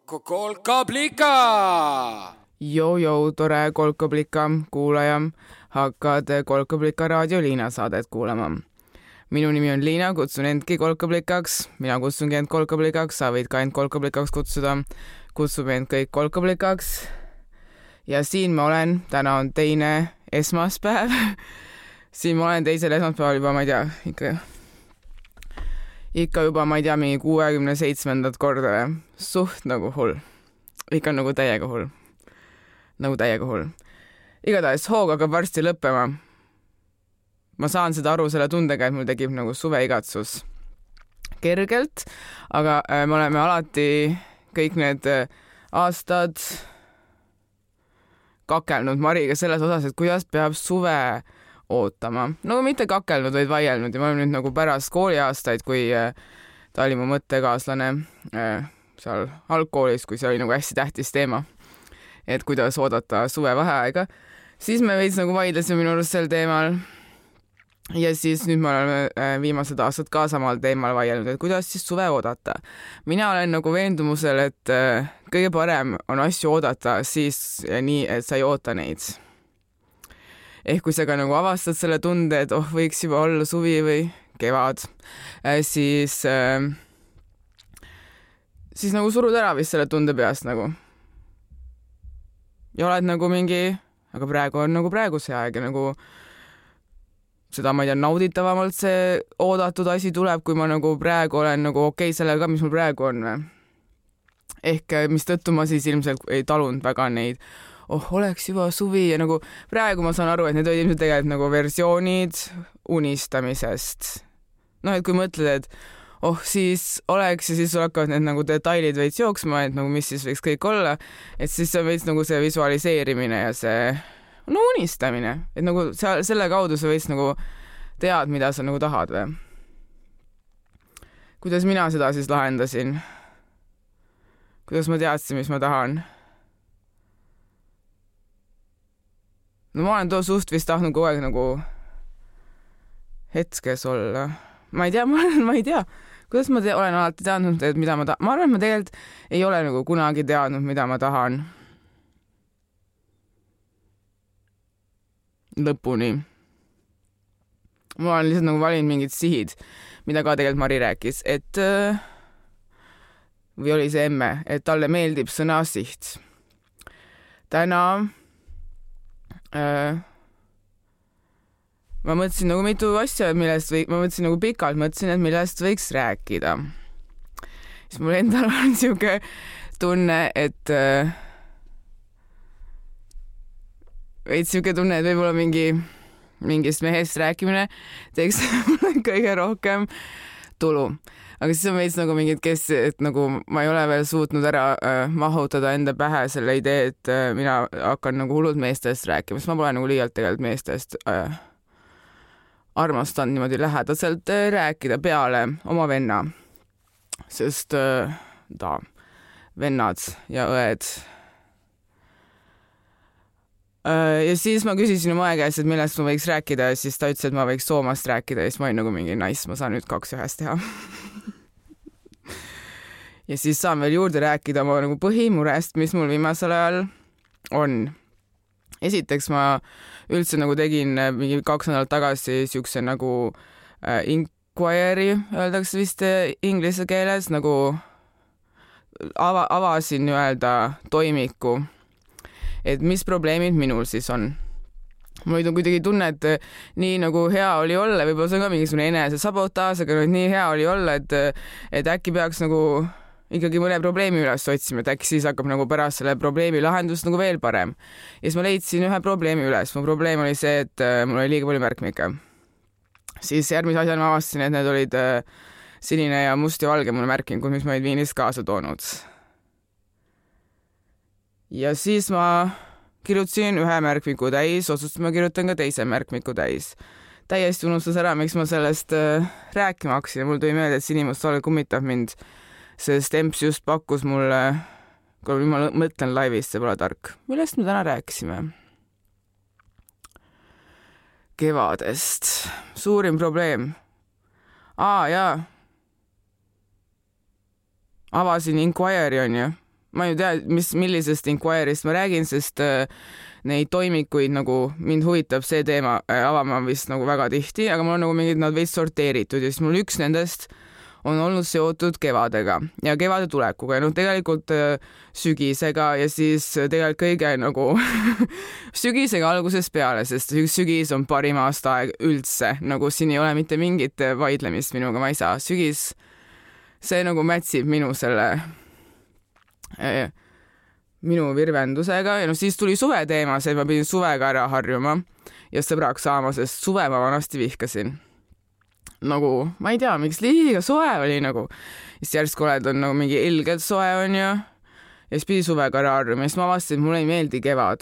Kolkablika! Joo, tore Kolkablika kuulaja. Hakkad Kolkablika raadio Liina saadet kuulama. Minu nimi on Liina, kutsun endki Kolkablikaks. Mina kutsungi end Kolkablikaks, sa võid ka end Kolkablikaks kutsuda. Kutsume end kõik Kolkablikaks. Ja siin ma olen, täna on teine esmaspäev. Siin ma olen teisel esmaspäeval juba, ma ei tea, ikka juba, ma ei tea, mingi 67. korda. Suht nagu hull. Ikka nagu täiega hull. Igatahes hoog hakkab varsti lõppema. Ma saan seda aru selle tundega, et mul tekib nagu suveigatsus kergelt, aga me oleme alati kõik need aastad kakelnud Mariga selles osas, et kuidas peab suve ootama. No mitte kakelnud, vaid vaielnud ja ma olen nüüd nagu pärast kooliaastaid, kui ta oli mu mõttekaaslane seal algkoolis, kui see oli nagu hästi tähtis teema, et kuidas oodata suvevaheaega, siis me veits nagu vaidlesime minu arust sel teemal. Ja siis nüüd me oleme viimased aastad ka samal teemal vaielnud, et kuidas siis suve oodata. Mina olen nagu veendumusel, et kõige parem on asju oodata siis nii, et sa ei oota neid. Ehk kui sa ka nagu avastad selle tunde, et võiks juba olla suvi või kevad, siis nagu surud ära vist selle tunde peast nagu. Ja oled nagu mingi, aga praegu on nagu praegu see aeg ja nagu seda, ma ei tea, nauditavamalt see oodatud asi tuleb, kui ma nagu praegu olen nagu okei sellega ka, mis mul praegu on. Ehk mis tõttu ma siis ilmselt ei talunud väga neid, oleks juba suvi ja nagu praegu ma saan aru, et need olid ilmselt tegelikult nagu versioonid unistamisest. No, et kui mõtled, et siis oleks ja siis hakkavad need nagu detailid veits jooksma, et nagu mis siis võiks kõik olla, et siis on veits nagu see visualiseerimine ja see unistamine, et nagu selle kaudu sa võiks nagu tead, mida sa nagu tahad või. Kuidas mina seda siis lahendasin? Kuidas ma teadsin, mis ma tahan? No ma olen suht vist tahtnud kogu aeg nagu hetkes olla. Ma ei tea. Kuidas ma olen alati teadnud, et mida ma tahan? Ma arvan, et ma tegelikult ei ole nagu kunagi teadnud, mida ma tahan. Lõpuni. Ma olen lihtsalt nagu valinud mingid sihid, mida ka tegelikult Mari rääkis, et või oli see emme, et talle meeldib sõna siht. Täna ma mõtlesin nagu mitu asja, ma mõtlesin nagu pikalt, et millest võiks rääkida. Siis mul endal on siuke tunne, et võib-olla mingist mehest rääkimine teeks kõige rohkem tulu. Aga siis on veits nagu mingid, et nagu ma ei ole veel suutnud ära mahutada enda pähe selle idee, et mina hakkan nagu hullult meestest rääkima, sest ma pole nagu liialt tegelikult meestest armastanud niimoodi lähedaselt rääkida peale oma venna. Sest vennad ja õed. Ja siis ma küsisin oma aja käest, et millest ma võiks rääkida ja siis ta ütles, et ma võiks Soomast rääkida ja siis ma olin nagu mingi nice, ma saan nüüd 2 ühes teha. Ja siis saan veel juurde rääkida oma nagu põhimurest, mis mul viimasel ajal on. Esiteks ma üldse nagu tegin mingi 2 nädalat tagasi siukse nagu inquiry, öeldakse vist inglise keeles, nagu avasin öelda toimiku, et mis probleemid minul siis on. Mul oli kuidagi tunne, et nii nagu hea oli olla, võib-olla see on ka mingisugune enese sabotaaž, aga nii hea oli olla, et äkki peaks nagu ikkagi mõne probleemi üles otsima, et äkki siis hakkab nagu pärast selle probleemi lahendust nagu veel parem. Ja siis ma leidsin ühe probleemi üles. Mu probleem oli see, et mul oli liiga palju märkmikke. Siis järgmise asjana ma avastasin, et need olid sinine ja must ja valge mulle märkingud, mis ma olid Viinist kaasa toonud. Ja siis ma kirjutasin ühe märkmiku täis, otsustasin ma kirjutan ka teise märkmiku täis. Täiesti unustas ära, miks ma sellest rääkima hakkasin. Mul tuli meelde, et sinimustvalge kummitab mind, sest Emps just pakkus mulle, kui ma mõtlen laivist, see pole tark. Millest me täna rääkisime? Kevadest. Suurim probleem. Jaa. avasin Inquiry onju. Ma ei tea, millisest Inquiry'st ma räägin, sest neid toimikuid nagu mind huvitab see teema avama vist nagu väga tihti, aga mul on nagu mingid nad veits sorteeritud ja siis mul üks nendest on olnud seotud kevadega ja kevade tulekuga ja tegelikult sügisega ja siis tegelikult kõige nagu sügisega algusest peale, sest sügis on parim aastaaeg üldse, nagu siin ei ole mitte mingit vaidlemist minuga, ma ei saa. Sügis, see nagu mätsib minu selle minu virvendusega ja siis tuli suve teema, see ma pidin suvega ära harjuma ja sõbraks saama, sest suve ma vanasti vihkasin. Nagu, ma ei tea, miks liiga soe oli nagu. Siis järsku oled on nagu mingi ilgelt soe on ju ja siis pidi suvega ära harjuma ja siis ma avastasin, et mulle ei meeldi kevad.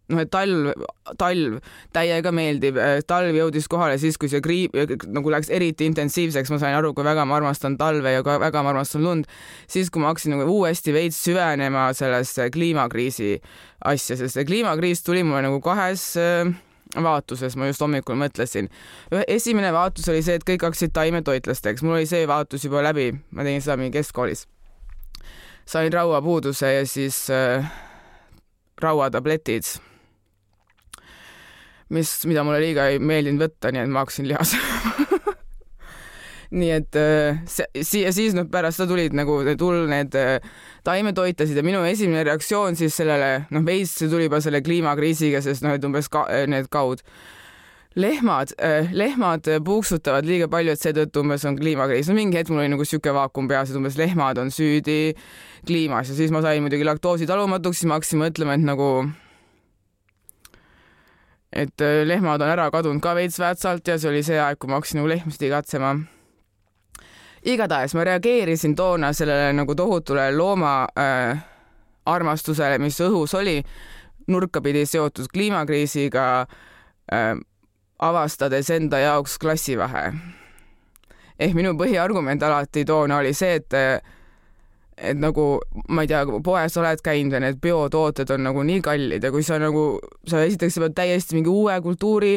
No, et talv täiega meeldib. Talv jõudis kohale siis, kui see nagu läks eriti intensiivseks. Ma sain aru, kui väga ma armastan talve ja väga ma armastan lund. Siis, kui ma hakkasin nagu uuesti veits süvenema sellesse kliimakriisi asja, sest see kliimakriis tuli mulle nagu kahes vaatuses, ma just hommikul mõtlesin. Esimene vaatus oli see, et kõik hakkasid taimetoitlasteks. Mul oli see vaatus juba läbi. Ma tegin seda mingi keskkoolis. Sain rauapuuduse ja siis rauatabletid, mida mulle liiga ei meeldinud võtta, nii et ma hakkasin lihas. Nii et siis pärast seda tulid nagu need taimetoitlasid ja minu esimene reaktsioon siis sellele, veits see tuli juba selle kliimakriisiga, sest et umbes need kaud. Lehmad puuksutavad liiga palju, et seetõttu umbes on kliimakriis. Mingi hetk mul oli nagu siuke vaakum peas, et umbes lehmad on süüdi kliimas ja siis ma sain muidugi laktoosi talumatuks, siis ma hakkasin mõtlema, et lehmad on ära kadunud ka veits väetsalt ja see oli see aeg, kui ma hakkasin nagu lehmast igatsema. Igatahes ma reageerisin toona sellele nagu tohutule looma armastusele, mis õhus oli, nurkapidi seotud kliimakriisiga, avastades enda jaoks klassivahe. Minu põhiargument alati toona oli see, et nagu, ma ei tea, poes oled käinud ja need biotooted on nagu nii kallid ja kui sa esiteks pead täiesti mingi uue kultuuri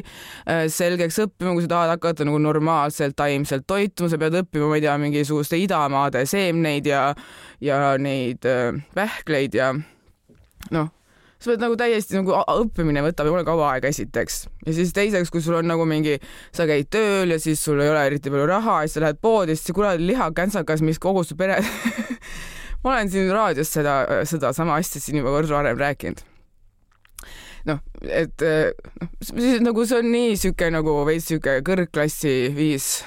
selgeks õppima, kui sa tahad hakata nagu normaalselt taimselt toituma, sa pead õppima, ma ei tea, mingisuguste idamaade seemneid ja neid pähkleid ja sa pead nagu täiesti nagu õppimine võtab jumala kaua aega esiteks. Ja siis teiseks, kui sul on nagu sa käid tööl ja siis sul ei ole eriti palju raha ja siis sa lähed poodi, siis kuradi lihakänsakas, mis kogu su pere... Ma olen siin raadios seda sama asja siin juba kord varem rääkinud. Nagu see on nii süke nagu veits süke kõrgklassi viis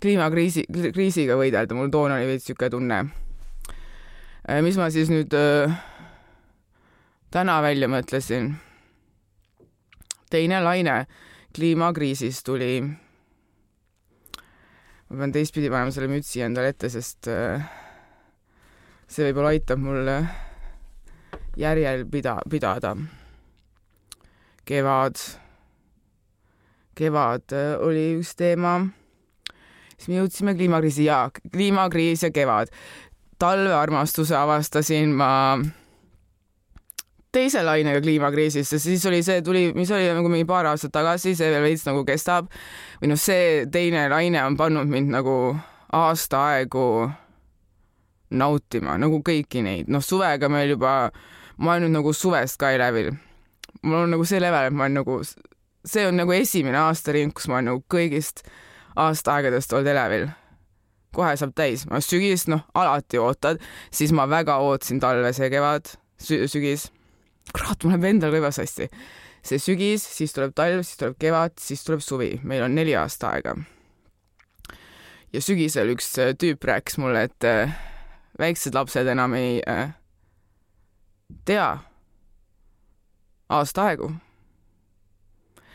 kliimakriisiga võidelda. Mul toona oli veits süke tunne. Mis ma siis nüüd täna välja mõtlesin? Teine laine kliimakriisist tuli. Ma pean teistpidi panema selle mütsi endale ette, sest see võib-olla aitab mul järjel pidada. Kevad oli üks teema. Siis me jõudsime kliimakriis ja kevad. Talvearmastuse avastasin ma teise lainega kliimakriisist, sest siis oli see mis oli nagu mingi paar aastat tagasi, see veel veits nagu kestab. Või see teine laine on pannud mind nagu aasta aegu nautima, nagu kõiki neid. Suvega meil juba, ma olen nüüd nagu suvest ka elevil. Mul on nagu see level, et ma olen nagu, see on nagu esimene aastaring, kus ma olen nagu kõigist aastaaegadest olnud elevil. Kohe saab täis. Ma sügis, alati ootad, siis ma väga ootasin talve see kevad, sügis. Kurat, mul läheb endal kõivas hästi. See sügis, siis tuleb talv, siis tuleb kevad, siis tuleb suvi. Meil on 4 aastaaega. Ja sügisel üks tüüp rääkis mulle, et väiksed lapsed enam ei tea aastaaegu.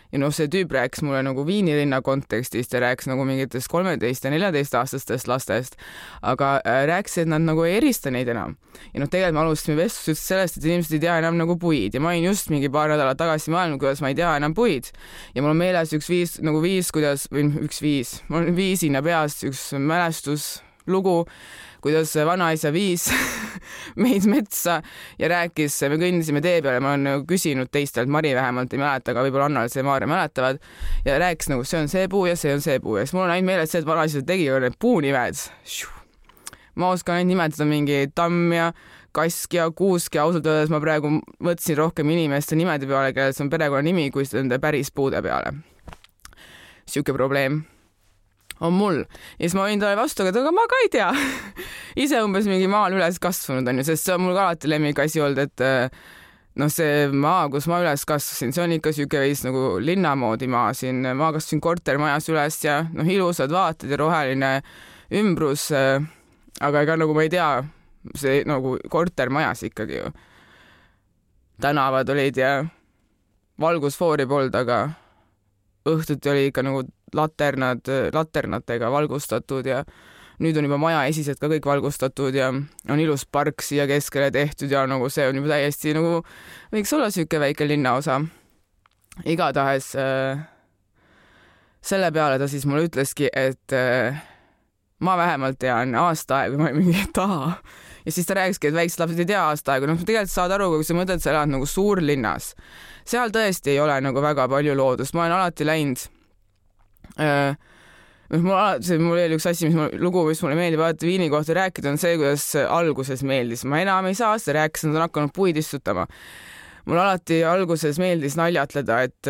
Ja see tüüp rääkis mulle nagu Viinilinna kontekstist ja rääkis nagu mingitest 13 ja 14 aastastest lastest, aga rääkis, et nad nagu ei erista neid enam. Ja tegelikult me alustasime vestlust sellest, et inimesed ei tea enam nagu puid ja ma olin just mingi paar nädalat tagasi maailma, kuidas ma ei tea enam puid. Ja mul on meeles mul on viisina peas üks mälestuslugu, kuidas vanaisa viis meid metsa ja rääkis, me kõndisime tee peale, ma olen küsinud teistelt, Mari vähemalt ei mäleta, aga võib-olla Annal see Maarja mäletavad, ja rääkis nagu see on see puu ja see on see puu ja siis mul on ainult meeles see, et vanaisa tegi need puunimed. ma oskan ainult nimetada mingi tamm ja kask ja kuusk ja ausalt öeldes ma praegu mõtlesin rohkem inimeste nimede peale, kellel see on perekonnanimi, kui nende päris puude peale. Siuke probleem on mul. Ja siis ma võin talle vastu, aga ma ka ei tea. Ise umbes mingi maal üles kasvanud on ju, sest see on mul ka alati lemmikasi olnud, et see maa, kus ma üles kasvasin, see on ikka siuke veits nagu linna moodi maa siin. Ma kasvasin kortermajas üles ja ilusad vaated ja roheline ümbrus, aga ega nagu ma ei tea, see nagu kortermajas ikkagi ju. Tänavad olid ja valgusfoori polnud, aga õhtuti oli ikka nagu laternatega valgustatud ja nüüd on juba maja esised ka kõik valgustatud ja on ilus park siia keskele tehtud ja nagu see on juba täiesti nagu võiks olla siuke väike linnaosa. Igatahes selle peale ta siis mulle ütleski, et ma vähemalt tean aasta aega, ma olin mingi taha. Ja siis ta rääkiski, et väiksed lapsed ei tea aasta aega. Tegelikult saad aru, kui sa mõtled, sa elad nagu suurlinnas. Seal tõesti ei ole nagu väga palju loodust. Ma olen alati läinud. Mul oli üks asi, lugu, mis mulle meeldib alati Viini kohta rääkida, on see, kuidas alguses meeldis. Ma enam ei saa seda rääkida, nad on hakanud puid istutama. Mul alati alguses meeldis naljatleda, et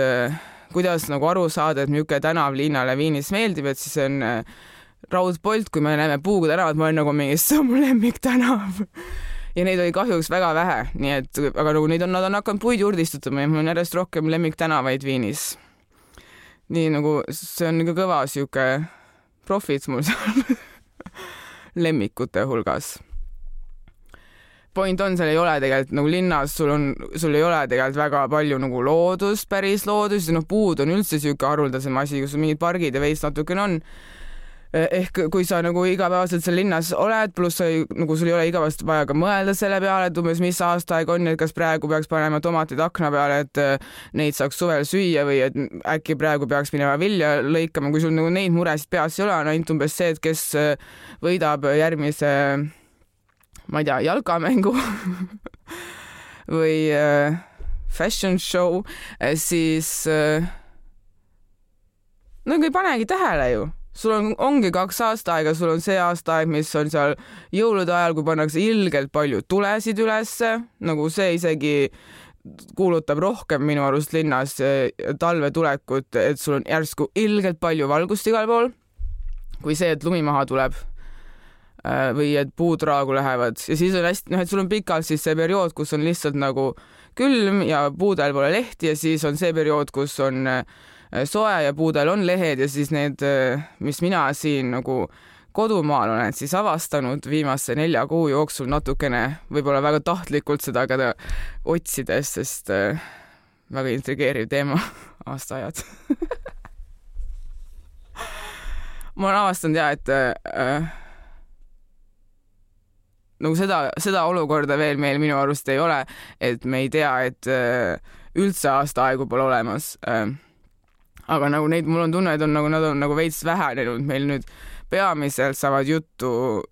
kuidas nagu aru saada, et niisugune tänav linnale Viinis meeldib, et siis on Raudpolt, kui me näeme Puugu tänavat, ma olen nagu mingi, see on mu lemmik tänav. Ja neid oli kahjuks väga vähe, nii et, aga nagu nad on hakanud puid juurde istutama ja mul on järjest rohkem lemmik tänavaid Viinis. Nii nagu see on nagu kõva siuke profit mul seal lemmikute hulgas. Point on, seal ei ole tegelikult nagu linnas, sul ei ole tegelikult väga palju nagu loodust, päris loodust ja puud on üldse siuke haruldasem asi, kus mingid pargid ja veits natukene on. Ehk kui sa nagu igapäevaselt seal linnas oled, pluss nagu sul ei ole igapäevast vaja ka mõelda selle peale, et umbes mis aastaaeg on, et kas praegu peaks panema tomatid akna peale, et neid saaks suvel süüa või et äkki praegu peaks minema vilja lõikama, kui sul nagu neid muresid peas ei ole, on ainult umbes see, et kes võidab järgmise, ma ei tea, jalkamängu või fashion show, siis no ei panegi tähele ju. Sul ongi 2 aastaaega, sul on see aastaaeg, mis on seal jõulude ajal, kui pannakse ilgelt palju tulesid ülesse, nagu see isegi kuulutab rohkem minu arust linnas talve tulekut, et sul on järsku ilgelt palju valgust igal pool, kui see, et lumi maha tuleb või et puud raagu lähevad. Ja siis on hästi, et sul on pikalt siis see periood, kus on lihtsalt nagu külm ja puudel pole lehti ja siis on see periood, kus on soe ja puudel on lehed ja siis need, mis mina siin nagu kodumaal olen siis avastanud viimase 4 kuu jooksul natukene, võib-olla väga tahtlikult seda ka otsides, sest väga intrigeeriv teema, aastaajad. Ma olen avastanud et nagu seda olukorda veel meil minu arust ei ole, et me ei tea, et üldse aastaaegu pole olemas. Aga nagu neid, mul on tunne, et nad on nagu veits vähenenud. Meil nüüd peamiselt saavad jutust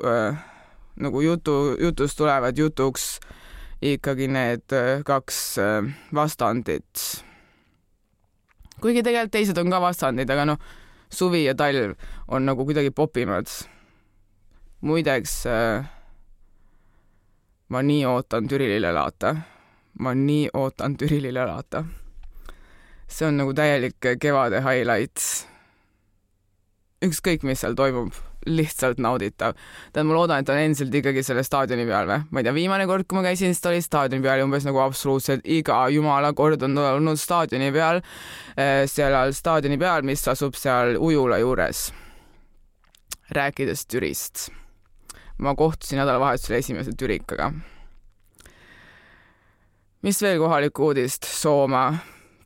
tulevad jutuks ikkagi need 2 vastandit. Kuigi tegelikult teised on ka vastandid, aga suvi ja talv on nagu kuidagi popimad. Muideks, ma nii ootan Türilile laata. See on nagu täielik kevade highlight. Ükskõik, mis seal toimub, lihtsalt nauditav. Ma loodan, et on endiselt ikkagi selle staadioni peal või? Ma ei tea, viimane kord, kui ma käisin, siis ta oli staadioni peal ja umbes nagu absoluutselt iga jumala kord on olnud staadioni peal, seal staadioni peal, mis asub seal ujula juures. Rääkides Türist. Ma kohtusin nädalavahetusel esimese türikaga. Mis veel kohaliku uudist? Sooma.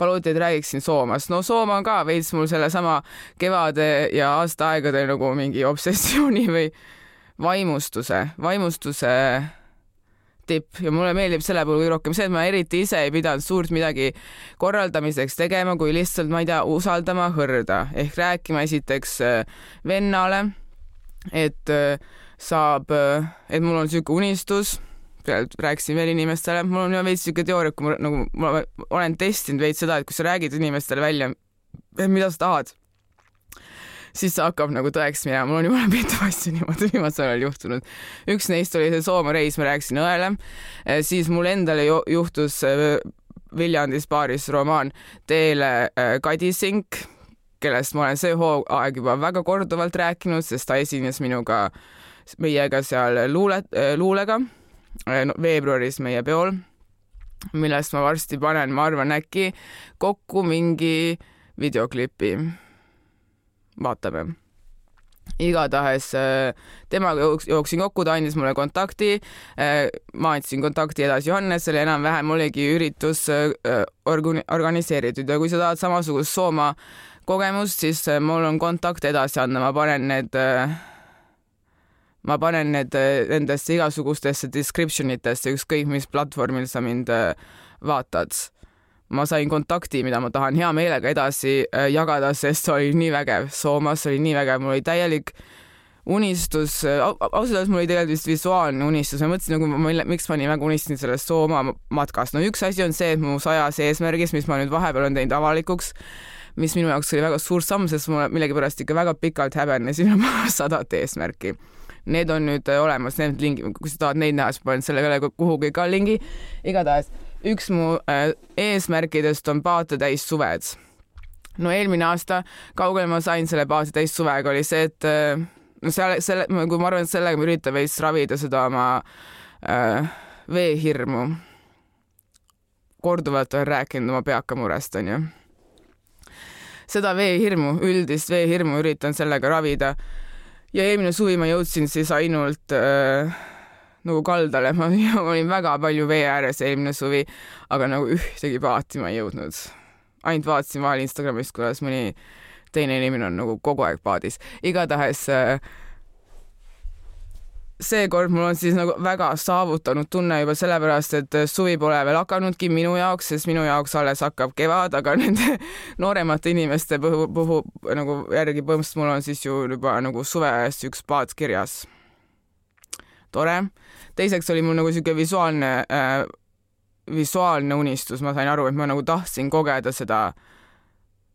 Paluti, et räägiksin Soomast. Sooma on ka veits mul selle sama kevade ja aastaaegade nagu mingi obsessiooni või vaimustuse tipp. Ja mulle meeldib selle puhul rohkem see, et ma eriti ise ei pidanud suurt midagi korraldamiseks tegema, kui lihtsalt, ma ei tea, usaldama hõrda. Ehk rääkima esiteks vennale, et mul on siuke unistus, rääkisin veel inimestele, mul on veits siuke teooria, kui ma olen testinud veits seda, et kui sa räägid inimestele välja, mida sa tahad, siis see hakkab nagu tõeks minema. Mul on jumala mitu asja niimoodi viimasel ajal juhtunud. Üks neist oli see Soome reis, ma rääkisin õele. Siis mul endale juhtus Viljandis baaris Roman teele Kadi Sink, kellest ma olen see hooaeg juba väga korduvalt rääkinud, sest ta esines meiega seal luulega veebruaris meie peol, millest ma varsti panen, ma arvan, äkki kokku mingi videoklipi. Vaatame. Igatahes temaga jooksin kokku, ta andis mulle kontakti, ma andsin kontakti edasi Johannesele, enam-vähem oligi üritus organiseeritud ja kui sa tahad samasugust Sooma kogemust, siis mul on kontakt edasi anda, ma panen need nendesse igasugustesse descriptionitesse, ükskõik mis platvormil sa mind vaatad. Ma sain kontakti, mida ma tahan hea meelega edasi jagada, sest see oli nii vägev. Soomas oli nii vägev, mul oli täielik unistus, ausalt öeldes mul oli tegelikult vist visuaalne unistus. Ma mõtlesin, miks ma nii väga unistasin sellest Sooma matkast. No üks asi on see, et mu 100 eesmärgis, mis ma nüüd vahepeal olen teinud avalikuks, mis minu jaoks oli väga suur samm, sest ma millegipärast ikka väga pikalt häbenesin oma 100 eesmärki. Need on nüüd olemas, need lingi, kui sa tahad neid näha, siis panen selle kuhugi ka lingi. Igatahes üks mu eesmärkidest on paate täis suved. No eelmine aasta kaugel ma sain selle paate täis suvega oli see, et kui ma arvan, et sellega ma üritan veits ravida seda oma veehirmu. Korduvalt olen rääkinud oma peakamurest, on ju. Seda veehirmu, üldist veehirmu üritan sellega ravida. Ja eelmine suvi ma jõudsin siis ainult nagu kaldale, ma olin väga palju vee ääres eelmine suvi, aga nagu ühtegi paati ma ei jõudnud. Ainult vaatasin vahel Instagramist, kuidas mõni teine inimene on nagu kogu aeg paadis. Igatahes seekord mul on siis nagu väga saavutanud tunne juba sellepärast, et suvi pole veel hakanudki minu jaoks, sest minu jaoks alles hakkab kevad, aga nende nooremate inimeste puhul nagu järgi põhimõtteliselt mul on siis ju juba nagu suveajast üks paat kirjas. Tore. Teiseks oli mul nagu siuke visuaalne unistus. Ma sain aru, et ma nagu tahtsin kogeda seda,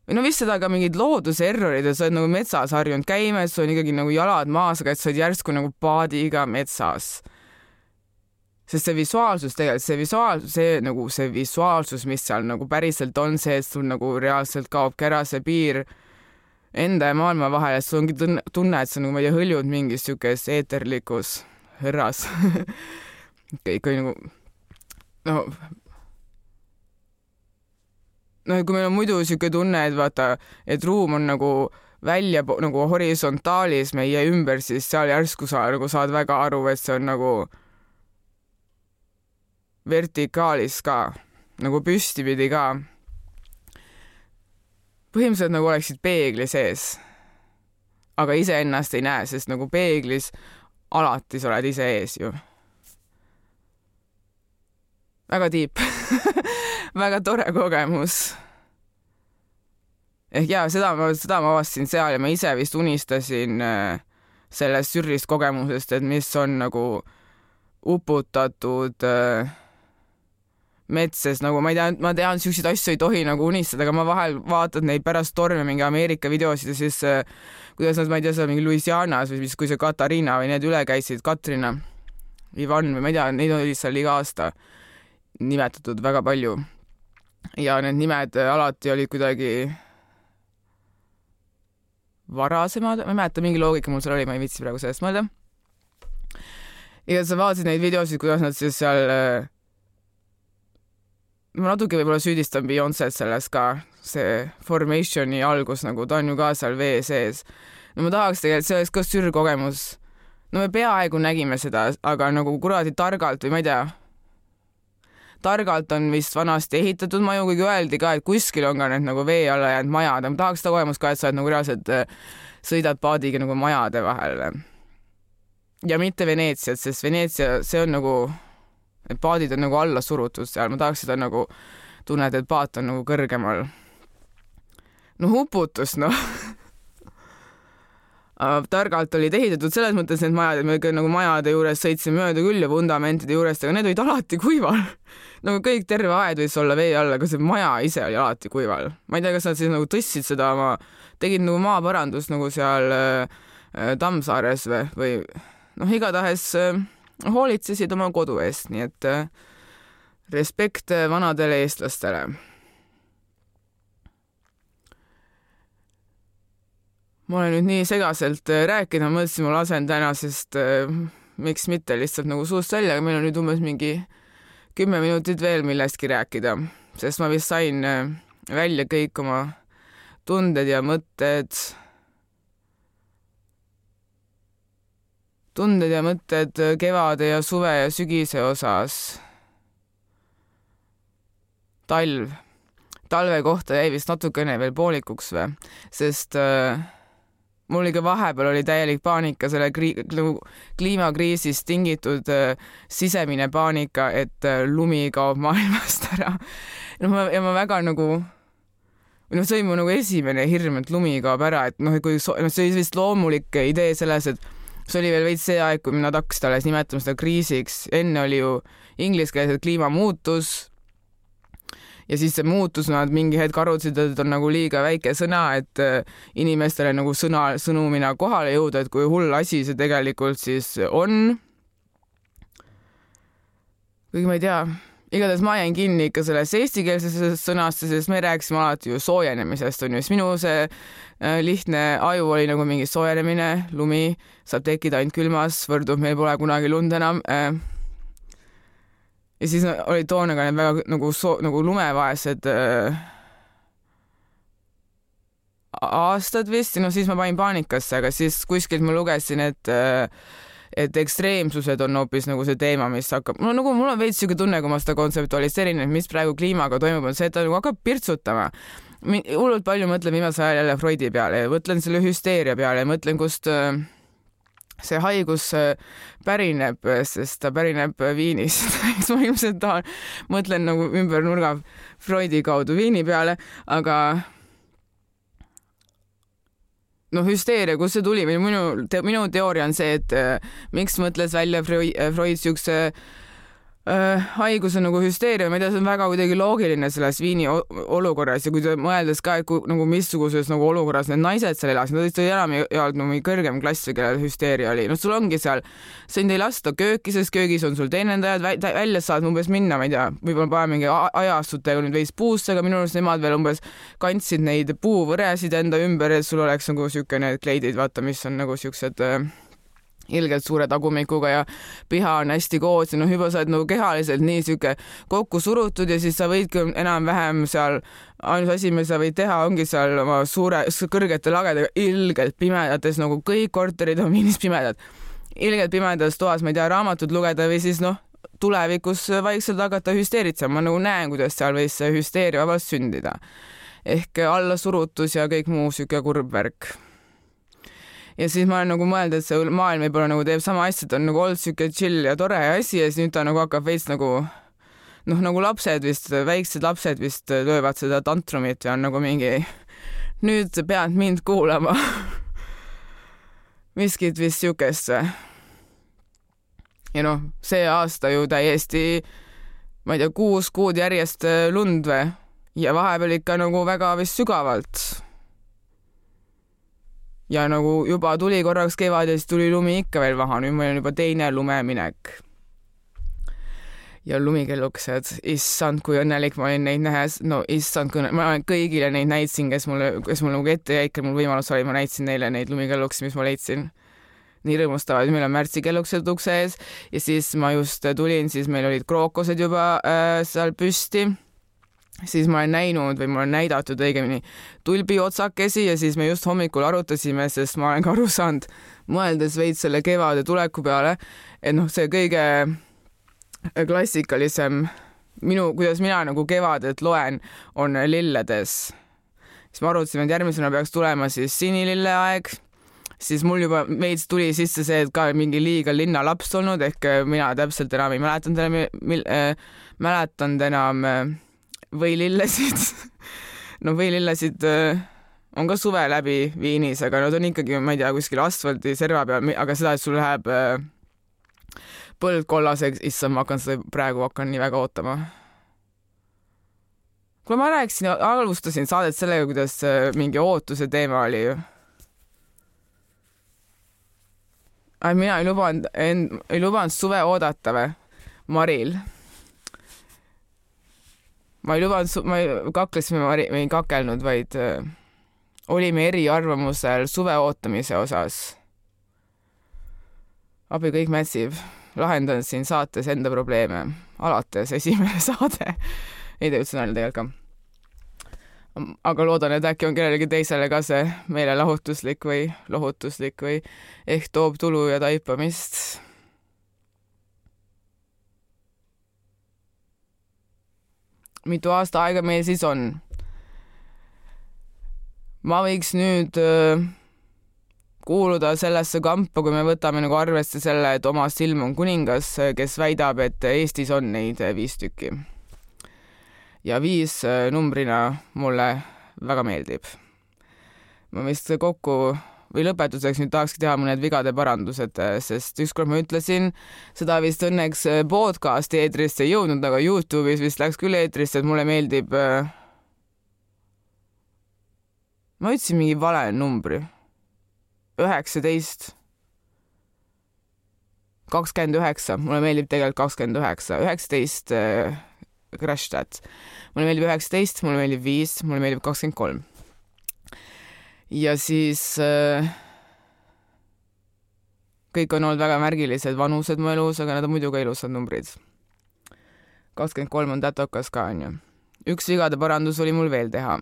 või no vist seda ka mingid looduse errorid, et sa oled nagu metsas harjunud käima, et sul on ikkagi nagu jalad maas, aga et sa oled järsku nagu paadiga metsas. Sest see visuaalsus tegelikult, see visuaalsus, mis seal nagu päriselt on see, et sul nagu reaalselt kaob ära see piir enda ja maailma vahel, et sul ongi tunne, et sa nagu, ma ei tea, hõljud mingis siukes eeterlikus hõrras. Ikka nagu no, kui meil on muidu siuke tunne, et vaata, et ruum on nagu välja nagu horisontaalis meie ümber, siis seal järsku sa nagu saad väga aru, et see on nagu vertikaalis ka, nagu püstipidi ka. Põhimõtteliselt nagu oleksid peegli sees, aga ise ennast ei näe, sest nagu peeglis alati sa oled ise ees ju. Väga tiip. Väga tore kogemus. Ehk jaa, seda ma avastasin seal ja ma ise vist unistasin sellest sürrist kogemusest, et mis on nagu uputatud metses, nagu ma tean, siukseid asju ei tohi nagu unistada, aga ma vahel vaatad neid pärast torme mingi Ameerika videosid ja siis kuidas nad, ma ei tea, seal mingi Louisianas või kui see Katariina või need üle käisid, Katrina, Ivan või ma ei tea, neid oli seal iga aasta nimetatud väga palju. Ja need nimed alati olid kuidagi varasemad, ma ei mäleta, mingi loogika mul seal oli, ma ei viitsi praegu sellest mõelda. Ja sa vaatasid neid videosid, kuidas nad siis seal ma natuke võib-olla süüdistan Beyoncé selles ka, see Formationi algus, nagu ta on ju ka seal vee sees. No ma tahaks tegelikult, see oleks ka sürkogemus. No me peaaegu nägime seda, aga nagu kuradi targalt või ma ei tea. Targalt on vist vanasti ehitatud maju, kuigi öeldi ka, et kuskil on ka need nagu vee alla jäänud majad. Ma tahaks seda kogemust ka, et sa oled nagu reaalselt sõidad paadiga nagu majade vahel. Ja mitte Veneetsiat, sest Veneetsia, see on nagu et paadid on nagu alla surutud seal, ma tahaks seda nagu tunned, et paat on nagu kõrgemal. No huputus, noh. targalt olid ehitatud selles mõttes need majad, et me nagu majade juures sõitsime mööda küll ja fundamentide juurest, aga need olid alati kuival. Nagu kõik terve aed võis olla vee all, aga see maja ise oli alati kuival. Ma ei tea, kas nad siis nagu tõstsid seda tegid nagu maaparandust nagu seal Tammsaares või igatahes hoolitsesid oma kodu eest, nii et respekt vanadele eestlastele. Ma olen nüüd nii segaselt rääkida, mõtlesin, ma lasen täna, sest miks mitte lihtsalt nagu suust välja, aga meil on nüüd umbes mingi 10 minutit veel millestki rääkida, sest ma vist sain välja kõik oma tunded ja mõtted. Tunded ja mõtted kevade ja suve ja sügise osas. Talve kohta jäi vist natukene veel poolikuks või, sest mul oli ka vahepeal oli täielik paanika selle kliimakriisist tingitud sisemine paanika, et lumi kaob maailmast ära. Ja ma väga nagu, see oli mu nagu esimene hirm, et lumi kaob ära, et kui see oli vist loomulik idee selles, et see oli veel veits see aeg, kui nad hakkasid alles nimetama seda kriisiks. Enne oli ju ingliskeelset kliimamuutus ja siis see muutus, nad mingi hetk arutasid, et on nagu liiga väike sõna, et inimestele nagu sõnumina kohale jõuda, et kui hull asi see tegelikult siis on. Kuigi ma ei tea, igatahes ma jäin kinni ikka selles eestikeelses sõnasse, sest me rääkisime alati ju soojenemisest, on ju, siis minu see lihtne aju oli nagu mingi soojenemine, lumi saab tekkida ainult külmas, võrdub, meil pole kunagi lund enam. Ja siis oli toona ka need väga nagu lumevaesed aastad vist, siis ma panin paanikasse, aga siis kuskilt ma lugesin, et ekstreemsused on hoopis nagu see teema, mis hakkab, nagu mul on veits siuke tunne, kui ma seda kontseptualiseerin, et mis praegu kliimaga toimub, on see, et ta nagu hakkab pirtsutama. Hullult palju mõtlen viimasel ajal jälle Freudi peale ja mõtlen selle hüsteeria peale ja mõtlen, kust see haigus pärineb, sest ta pärineb Viinist. Ma ilmselt mõtlen nagu ümber nurga Freudi kaudu Viini peale, aga hüsteeria, kus see tuli? Minu teooria on see, et miks mõtles välja Freud siukse haiguse nagu hüsteeria, ma ei tea, see on väga kuidagi loogiline selles Viini olukorras ja kui ta mõeldes ka, et nagu missuguses nagu olukorras need naised seal elasid, nad tõesti enam ei olnud mingi kõrgem klass või kellel hüsteeria oli. Sul ongi seal, sind ei lasta kööki, sest köögis on sul teenindajad, välja saad umbes minna, ma ei tea, võib-olla pane mingi ajastutega nüüd veis puusse, aga minu arust nemad veel umbes kandsid neid puuvõresid enda ümber, et sul oleks nagu siuke need kleidid, vaata, mis on nagu siuksed ilgelt suure tagumikuga ja piha on hästi koos ja juba sa oled nagu kehaliselt nii siuke kokku surutud ja siis sa võidki enam-vähem seal, ainus asi, mis sa võid teha, ongi seal oma kõrgete lagedega ilgelt pimedates, nagu kõik korterid on Viinis pimedad. Ilgelt pimedas toas, ma ei tea, raamatut lugeda või siis tulevikus vaikselt hakata hüsteeritsema. Ma nagu näen, kuidas seal võis see hüsteeria vabalt sündida. Ehk allasurutus ja kõik muu siuke kurb värk. Ja siis ma olen nagu mõelda, et see maailm võib-olla nagu teeb sama asja, et on nagu olnud siuke chill ja tore asi ja siis nüüd ta nagu hakkab veits nagu lapsed vist, väiksed lapsed vist löövad seda tantrumit ja on nagu mingi, nüüd pead mind kuulama. Miskit vist siukest. Ja see aasta ju täiesti, ma ei tea, 6 kuud järjest lund või ja vahepeal ikka nagu väga vist sügavalt. Ja nagu juba tuli korraks kevad ja siis tuli lumi ikka veel maha, nüüd meil on juba teine lumeminek. Ja lumikellukesed, issand, kui õnnelik ma olin neid nähes, issand, kui ma kõigile neid näitsin, kes mul nagu ette jäi, mul võimalus oli, ma näitsin neile neid lumikellukesi, mis ma leidsin. Nii rõõmustavad, meil on märtsikellukesed ukse ees ja siis ma just tulin, siis meil olid krookosed juba seal püsti. Siis ma olen näinud või mul on näidatud õigemini tulbi otsakesi ja siis me just hommikul arutasime, sest ma olen ka aru saanud, mõeldes veits selle kevade tuleku peale, et see kõige klassikalisem kuidas mina nagu kevadet loen, on lilledes. Siis ma arutasime, et järgmisena peaks tulema siis sinilille aeg, siis mul juba veits tuli sisse see, et ka mingi liiga linnalaps olnud, ehk mina täpselt enam ei mäletanud enam võilillesid. Võilillesid on ka suve läbi Viinis, aga nad on ikkagi, ma ei tea, kuskil asfaldi serva peal, aga seda, et sul läheb põld kollaseks, issand, ma hakkan nii väga ootama. Kui ma alustasin saadet sellega, kuidas mingi ootuse teema oli ju. Mina ei lubanud suve oodata või? Maril. Ma ei kakelnud, vaid olime eriarvamusel suve ootamise osas. Abi kõik mätsib. Lahendan siin saates enda probleeme. Alates esimene saade. Ei tee üldse nalja tegelikult ka. Aga loodan, et äkki on kellelegi teisele ka see meelelahutuslik või lohutuslik või ehk toob tulu ja taipamist. Mitu aasta aega meil siis on? Ma võiks nüüd kuuluda sellesse kampa, kui me võtame nagu arvesse selle, et oma silm on kuningas, kes väidab, et Eestis on neid 5 tükki. Ja 5 numbrina mulle väga meeldib. Ma vist kokku või lõpetuseks nüüd tahakski teha mõned vigade parandused, sest ükskord ma ütlesin, seda vist õnneks podcasti eetrisse ei jõudnud, aga YouTube'is vist läks küll eetrisse, et mulle meeldib... Ma ütlesin mingi vale numbri. 19. 29. Mulle meeldib tegelikult 29. 19 crash that. Mulle meeldib 19, mulle meeldib 5, mulle meeldib 23. Ja siis kõik on olnud väga märgilised vanused mu elus, aga nad on muidu ka ilusad numbrid. 23 on tätokas ka, on ju. Üks vigade parandus oli mul veel teha.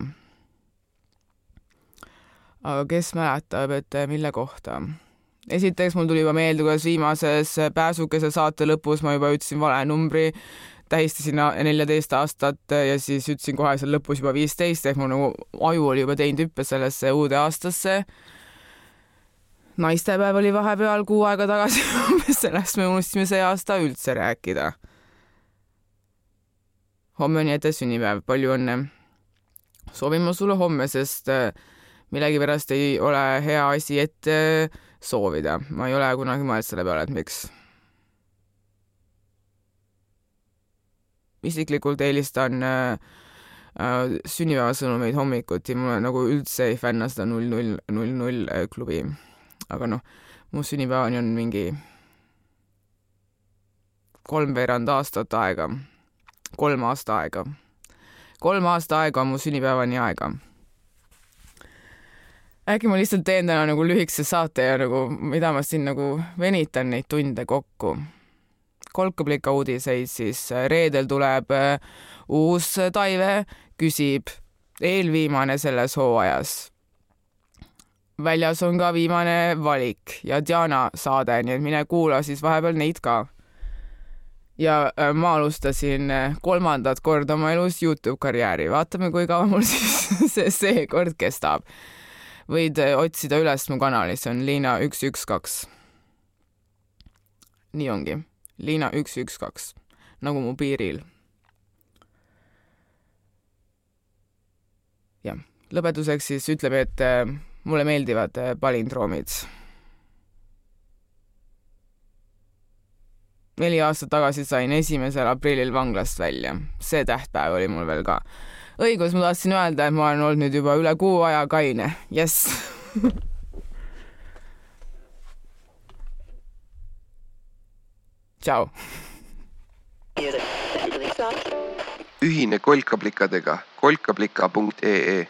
Aga kes mäletab, et mille kohta? Esiteks mul tuli juba meelde, kuidas viimases pääsukese saate lõpus ma juba ütlesin vale numbri, tähistasin 14 aastat ja siis ütlesin kohe seal lõpus juba 15, ehk mu nagu aju oli juba teinud hüppe sellesse uude aastasse. Naistepäev oli vahepeal 6 aega tagasi, sellest me unustasime see aasta üldse rääkida. Homme on jätte sünnipäev, palju õnne. Soovin ma sulle homme, sest millegi pärast ei ole hea asi ette soovida. Ma ei ole kunagi mõelnud selle peale, et miks. Isiklikult eelistan sünnipäevasõnumeid hommikuti. Mulle nagu üldse ei fänna seda 0000 klubi. Aga mu sünnipäevani on mingi 3 aastat aega. 3 aasta aega. 3 aasta aega on mu sünnipäevani aega. Äkki ma lihtsalt teen täna nagu lühikese saate ja nagu, mida ma siin nagu venitan neid tunde kokku. Kolkablika uudiseid, siis reedel tuleb uus Taive, küsib eelviimane selles hooajas. Väljas on ka viimane valik ja Diana saade, nii et mine kuula siis vahepeal neid ka. Ja ma alustasin 3. korda oma elus YouTube-karjääri. Vaatame, kui kaua mul siis see kord kestab. Võid otsida üles mu kanali, see on Liina 112. Nii ongi. Liina 112. Nagu mu piiril. Ja, lõpetuseks siis ütleb, et mulle meeldivad palindroomid. 4 aastat tagasi sain 1. aprillil vanglast välja. See tähtpäev oli mul veel ka. Õigus, ma tahtsin öelda, et ma olen olnud nüüd juba üle 6 aja kaine. Yes. Ciao. Ühine kolkaplikadega kolkaplika.ee